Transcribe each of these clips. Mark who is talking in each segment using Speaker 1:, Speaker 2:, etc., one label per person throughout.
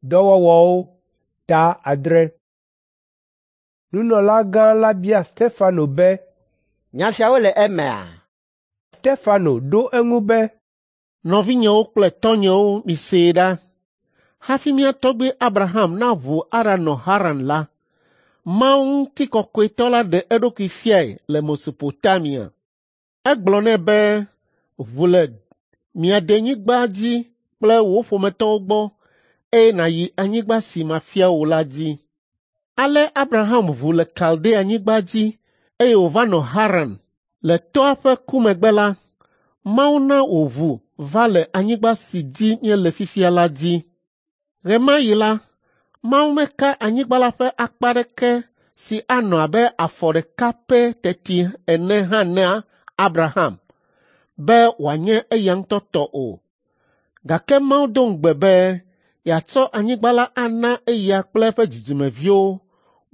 Speaker 1: Dɔwɔwɔwo ta 6. Nunɔlagã la bia Stefano be,
Speaker 2: Nya siawo le emea?
Speaker 1: Stefano ɖo eŋu be,
Speaker 3: Nɔvinyewo kple tɔnyewo misee ɖa. Hafi mía tɔgbui Abraham naʋu aɖanɔ Haran la, Mawu ŋutikɔkɔetɔ la ɖe eɖokui fiae le Mesopotamia. Egblɔ nɛ be, ‘Ʋu le mia denyigba dzi kple wò ƒometɔwo gbɔ eye nàyi anyigba si mafia wò la dzi.’ Ale Abraham ʋu le Kaldeanyigba dzi eye wòva nɔ Haran. Le tɔ́a ƒe ku megbe la, Mawu na wòʋu va le anyigba si dzi míele fifia la dzi. Ɣe ma ɣi la, Mawu meka anyigba la ƒe akpa aɖeke si anɔ abe afɔ ɖeka pɛ teti ene hã na Abraham be wòanye eya ŋutɔ tɔ o. Gake Mawu do ŋugbe be yeatsɔ anyigba la ana eya kple eƒe dzidzimeviwo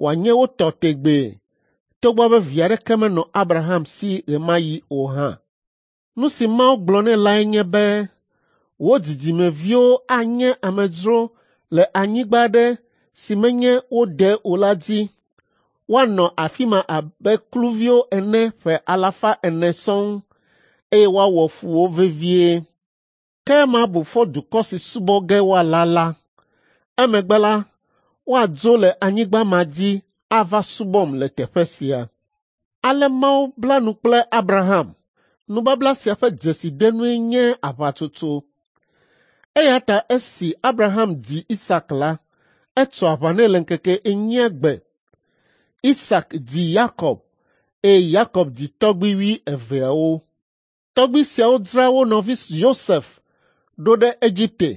Speaker 3: wòanye wo tɔ tegbee, togbɔ be vi aɖeke menɔ Abraham si ɣe ma ɣi o hã. Nu si Mawu gblɔ nɛ lae nye be, ‘Wò dzidzimeviwo anye amedzro le anyigba aɖe si menye wo de o la dzi. Woanɔ afi ma abe kluviwo ene ƒe alafa ene sɔŋ, eye woawɔ fu wo vevie. Ke mabu fɔ dukɔ si subɔ ge woala la. Emegbe la, woadzo le anyigba ma dzi ava subɔm le teƒe sia.’ Ale Mawu bla nu kple Abraham. Nubabla sia ƒe dzesidenue nye aʋatsotso. Eya ta esi Abraham dzi Isak la, etso aʋa nɛ le ŋkeke enyia gbe. Isak dzi Yakob eye Yakob dzi tɔgbui wuieveawo. Tɔgbui siawo dzra wo nɔvi Yosef ɖo ɖe Egipte,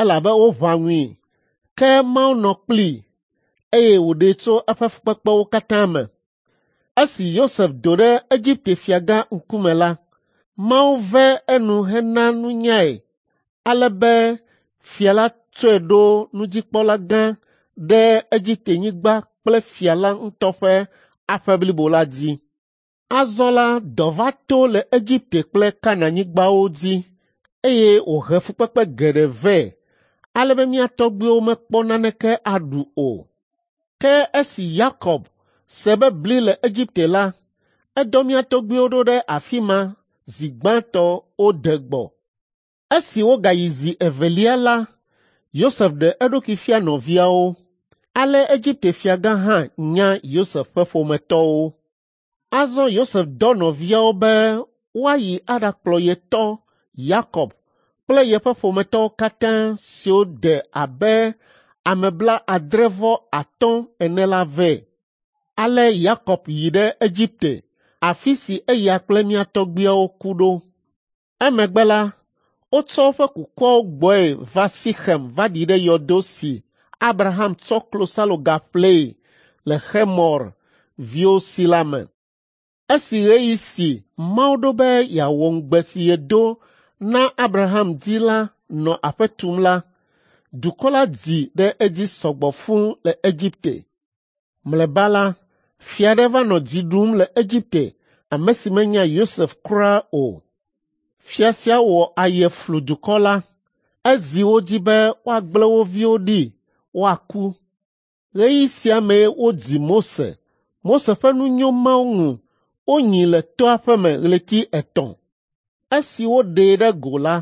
Speaker 3: elabe woʋã ŋui. Ke Mawu nɔ kplii, eye wòɖee tso eƒe fukpekpewo katã me. Esi Yosef do ɖe Egipte fiagã ŋkume la, Mawu ve enu hena nunyae ale be fia la tsɔe ɖo nudzikpɔla gã ɖe Egiptenyigba kple fia la ŋutɔ ƒe aƒe blibo la dzi. Azɔ la, dɔ va to le Egipte kple Kanaanyigbawo dzi eye wòhe fukpekpe geɖe vɛ ale be mía tɔgbuiwo mekpɔ naneke aɖu o. Ke esi Yakob se be bli le Egipte la, edɔ mía tɔgbuiwo ɖo ɖe afi ma zi gbãtɔ wode gbɔ. Esi wogayi zi evelia la, Yosef ɖe eɖokui fia nɔviawo. Ale Egipte fiagã hã nya Yosef ƒe ƒometɔwo. Azɔ Yosef dɔ nɔviawo be woayi aɖakplɔ ye tɔ Yakob kple yeƒe ƒometɔwo katã siwo de abe ame blaadre-vɔ-atɔ̃ ene la vɛ. Ale Yakob yi ɖe Egipte, afi si eya kple mía tɔgbuiawo ku ɖo. Emegbe la, wotsɔ woƒe kukuawo gbɔe va Sixem va ɖi ɖe yɔdo si Abraham tsɔ klosaloga ƒlee le Xemor viwo si la me. Esi ɣeyiɣi si Mawu ɖo be yeawɔ ŋugbe si yedo na Abraham dzi la nɔ aƒe tum la, dukɔ la dzi ɖe edzi sɔgbɔ fũu le Egipte. Mlɔeba la, fia aɖe va nɔ dzi ɖum le Egipte, ame si menya Yosef kura o. Fia sia wɔ aye flu dukɔ la. Ezi wo dzi be woagblẽ wo viwo ɖi woaku. Ɣeyiɣi sia mee wodzi Mose. Mose ƒe nu nyo Mawu ŋu wonyii le toa ƒe me ɣleti etɔ̃. Esi woɖee ɖe go la,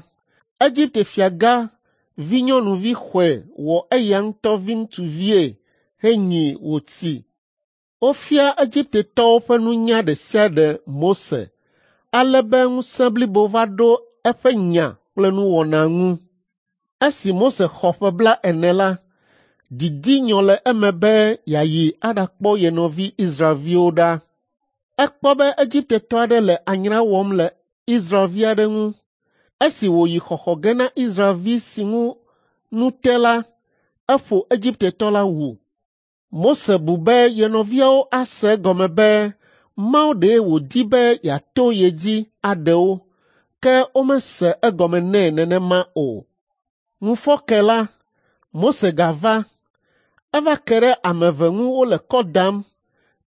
Speaker 3: Egipte fiagã vinyɔnuvi xɔe wɔ eya ŋutɔ viŋutsuvie henyii wòtsi. Wofia Egiptetɔwo ƒe nunya ɖe sia ɖe Mose ale be ŋusẽ blibo va ɖo eƒe nya kple nuwɔna ŋu. Esi Mose xɔ ƒe blaene la, didi nyɔ le eme be yeayi aɖakpɔ ye nɔvi Israelviwo ɖa. Ekpɔ be Egiptetɔ aɖe le anyra wɔm le Israelvi aɖe ŋu. Esi wòyi xɔxɔ ge na Israelvi si ŋu nu te la, eƒo Egiptetɔ la wu. Mose bu be ye nɔviawo ase egɔme be Mawu ɖee wòdi be yeato ye dzi aɖe wo, ke womese egɔme nɛ nenema o. Ŋufɔke la, Mose gava. Eva ke ɖe ame eve ŋu wole kɔ dam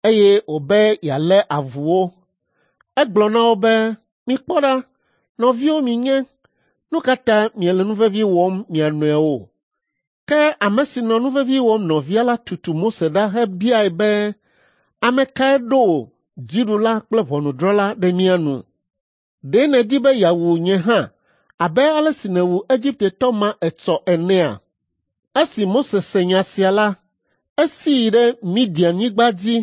Speaker 3: eye wòbe yealé avu wo. Egblɔ na wo be, ‘Mikpɔ ɖa, nɔviwo mienye, nu ka ta miele nu vevi wɔm mia nɔewo?’ Ke ame si nɔ nuvevi wɔm nɔvia la tutu Mose ɖa hebiae be, ‘Ame kae ɖo wò dziɖula kple ʋɔnudrɔ̃la ɖe mía nu? Ɖe nèdi be yeawu nye hã abe ale si nèwu Egiptetɔ ma etsɔ enea?’ Esi Mose se nya sia la, esi yi ɖe Midianyigba dzi.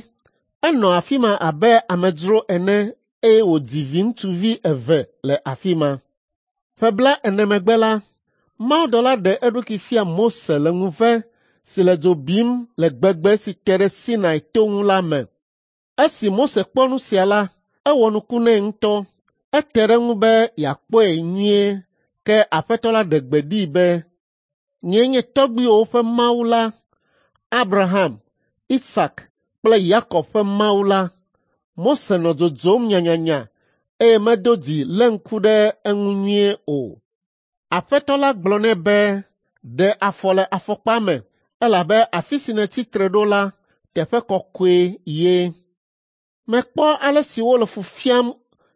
Speaker 3: Enɔ afi ma abe amedzro ene eye wòdzi viŋutsuvi eve le afi ma. Ƒe 40 megbe la, mawudɔla ɖe eɖokui fia Mose le ŋuve si le dzo bim le gbegbe si te ɖe Sinai to ŋu la me. Esi Mose kpɔ nu sia la, ewɔ nuku nɛ ŋutɔ. Ete ɖe eŋu be yeakpɔe nyuie ke Aƒetɔ la ɖe gbe ɖee be, ‘Nyee nye tɔgbuiwòwo ƒe Mawu la, Abraham, Isak kple Yakob ƒe Mawu la.’ Mose nɔ dzodzom nyanyanya eye medo dzi lé ŋku ɖe eŋu nyuie o. Aƒetɔ la gblɔ nɛ be, ‘Ɖe afɔ le afɔkpa me, elabe afi si nètsi tre ɖo la, teƒe kɔkɔe ye. Mekpɔ ale si wole fu fiam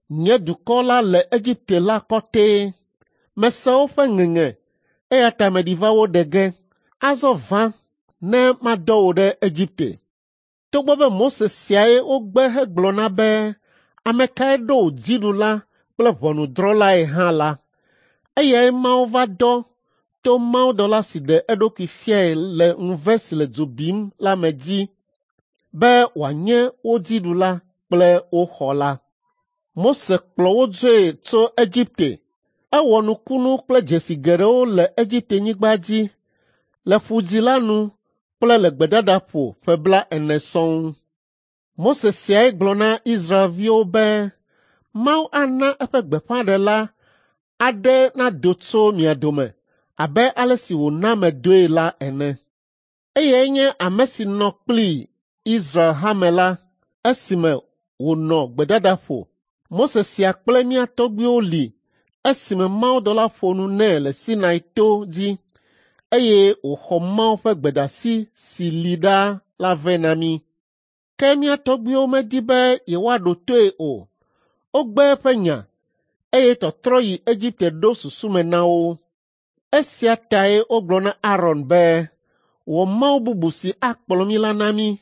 Speaker 3: nye dukɔ la le Egipte la kɔtɛe. Mese woƒe ŋeŋe, eya ta meɖi va wo ɖe ge. Azɔ va, ne madɔ wò ɖe Egipte.’ Togbɔ be Mose siae wogbe hegblɔ na be, ‘Ame kae ɖo wò dziɖula kple ʋɔnudrɔ̃lae hã la,’ eyae Mawu va dɔ to mawudɔla si ɖe eɖokui fiae le ŋuve si le dzo bim la me dzi be wòanye wo dziɖula kple wo xɔla. Mose kplɔ wo dzoe tso Egipte. Ewɔ nukunu kple dzesi geɖewo le Egiptenyigba dzi, le Ƒu Dzĩ la nu kple le gbedadaƒo ƒe 40 sɔŋ. Mose siae gblɔ na Israelviwo be Mawu ana eƒe gbeƒãɖela aɖe nado tso mia dome abe ale si wòna medoe la ene. Eyae nye ame si nɔ kpli Israel hame la esime wònɔ gbedadaƒo. Mose sia kple mía tɔgbuiwo li esime mawudɔla ƒo nu nɛ le Sinai to dzi eye wòxɔ Mawu ƒe gbedeasi si li ɖaa la vɛ na mí. Ke mía tɔgbuiwo medi be yewoaɖo toe o. Wogbe eƒe nya eye tɔtrɔ yi Egipte ɖo susu me na wo. Esia tae wogblɔ na Aron be, ‘Wɔ mawu bubu si akplɔ mí la na mí,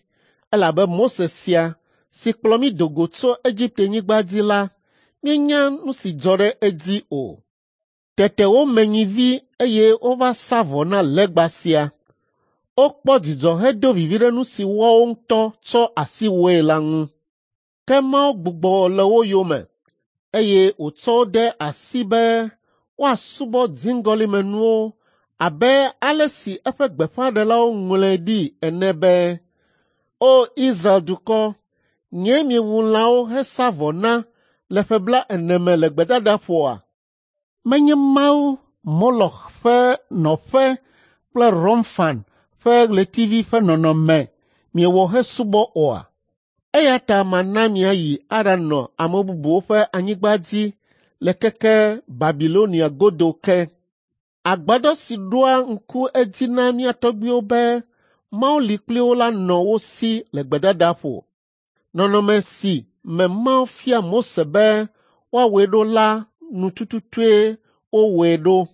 Speaker 3: elabe Mose sia, si kplɔ mí do go tso Egiptenyigba dzi la, míenya nu si dzɔ ɖe edzi o.’ Tete wome nyivi eye wova sa vɔ na legba sia. Wokpɔ dzidzɔ hedo vivi ɖe nu si woawo ŋutɔ tsɔ asi wɔe la ŋu. Ke Mawu gbugbɔ le wo yome, eye wòtsɔ wo de asi be woasubɔ dziŋgɔlimenuwo abe ale si eƒe gbeƒãɖelawo ŋlɔe ɖi ene be, ‘O Israel dukɔ, nyee miewu lãwo hesa vɔ na le ƒe 40 me le gbedadaƒoa? Menye mawu Moloch ƒe nɔƒe kple Romfan ƒe ɣletivi ƒe nɔnɔme miewɔ hesubɔ oa? Eya ta mana miayi aɖanɔ ame bubuwo ƒe anyigba dzi le keke Babilonia godo ke. Agbadɔ si ɖoa ŋku edzi na mía tɔgbuiwo be Mawu li kpli wo la nɔ wo si le gbedadaƒo. Nɔnɔme si me Mawu fia Mose be woawɔe ɖo la nu tututue wowɔe ɖo.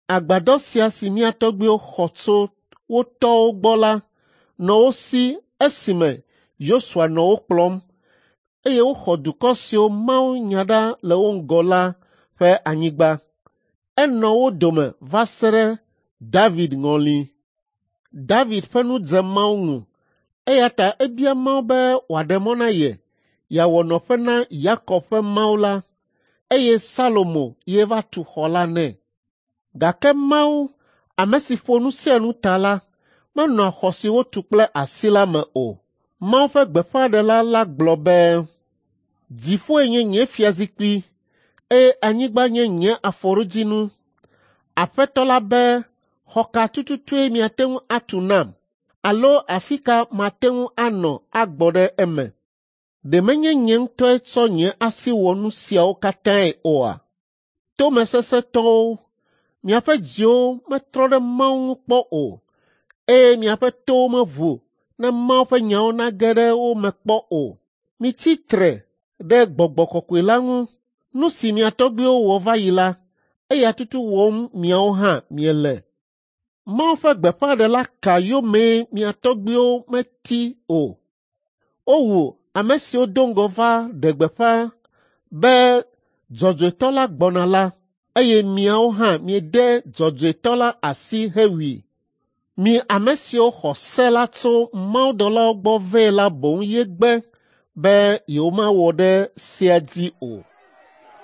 Speaker 3: Agbadɔ sia si mía tɔgbuiwo xɔ tso wo tɔwo gbɔ la nɔ wo si esime Yosua nɔ wo kplɔm, eye woxɔ dukɔ siwo Mawu nya ɖa le wo ŋgɔ la ƒe anyigba. Enɔ wo dome va se ɖe David ŋɔli. David ƒe nu dze Mawu ŋu, eya ta ebia Mawu be wòaɖe mɔ na ye yeawɔ nɔƒe na Yakob ƒe Mawu la, eye Salomo ye va tu xɔ la nɛ. Gake Mawu, ame si ƒo nu sia nu ta la, menɔa xɔ si wotu kple asi la me o. Mawu ƒe gbeƒãɖela la gblɔ be, ‘Dziƒoe nye nye fiazikpui eye anyigba nye nye afɔɖodzinu. Aƒetɔ la be xɔ ka tututue miate ŋu atu nam alo afi ka mate ŋu anɔ agbɔ ɖe eme? Ɖe menye nye ŋutɔe tsɔ nye asi wɔ nu siawo katãe oa? Tomesesẽtɔwo, miaƒe dziwo metrɔ ɖe Mawu ŋu kpɔ o, eye miaƒe towo meʋu ne Mawu ƒe nyawo nage ɖe wo me kpɔ o. Mitsi tre ɖe Gbɔgbɔ Kɔkɔe la ŋu. Nu si mia tɔgbuiwo wɔ va yi la, eya tutu wɔm miawo hã miele. Mawu ƒe gbeƒãɖela ka yomee mia tɔgbuiwo meti o? Wowu ame siwo do ŋgɔ va ɖe gbeƒã be dzɔdzɔetɔ la gbɔna la, eye miawo hã miede dzɔdzɔetɔ la asi hewui. Mi ame siwo xɔ se la tso mawudɔlawo gbɔ vɛ la boŋ ye gbe be yewomawɔ ɖe sea dzi o.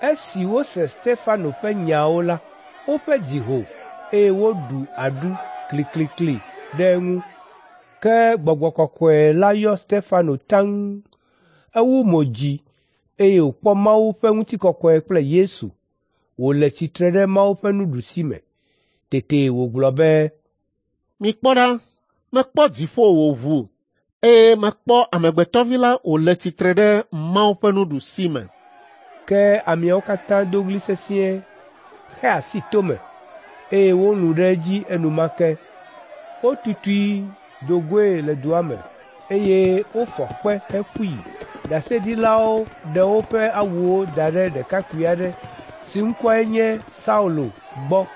Speaker 1: Esi wose Stefano ƒe nyawo la, woƒe dzi ho, eye woɖu aɖu kliklikli ɖe eŋu. Ke Gbɔgbɔ Kɔkɔe la yɔ Stefano taŋ. Ewu mo dzi, eye wòkpɔ Mawu ƒe ŋutikɔkɔe kple Yesu wòle tsitre ɖe Mawu ƒe nuɖusime. Tete wògblɔ be,
Speaker 3: Mikpɔ ɖa, mekpɔ dziƒo wòʋu, eye mekpɔ Amegbetɔvi la wòle tsitre ɖe Mawu ƒe nuɖusime.
Speaker 1: Ke ameawo katã do ɣli sesĩe, xe asi tome, eye wolũ ɖe edzi enumake. Wotutui do goe le dua me, eye wofɔ kpe heƒui. Ɖaseɖilawo ɖe woƒe awuwo da ɖe ɖekakpui aɖe si ŋkɔe nye Saulo gbɔ.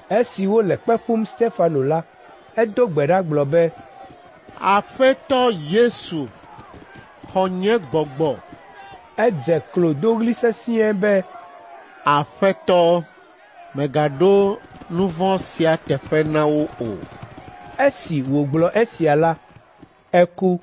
Speaker 1: Esi wole kpe ƒum Stefano la, edo gbe ɖa gblɔ be,
Speaker 3: Aƒetɔ Yesu, xɔ nye gbɔgbɔ.
Speaker 1: Edze klo do ɣli sesĩe be,
Speaker 3: Aƒetɔ, mègaɖo nu vɔ̃ sia teƒe na wo o.
Speaker 1: Esi wògblɔ esia la, eku.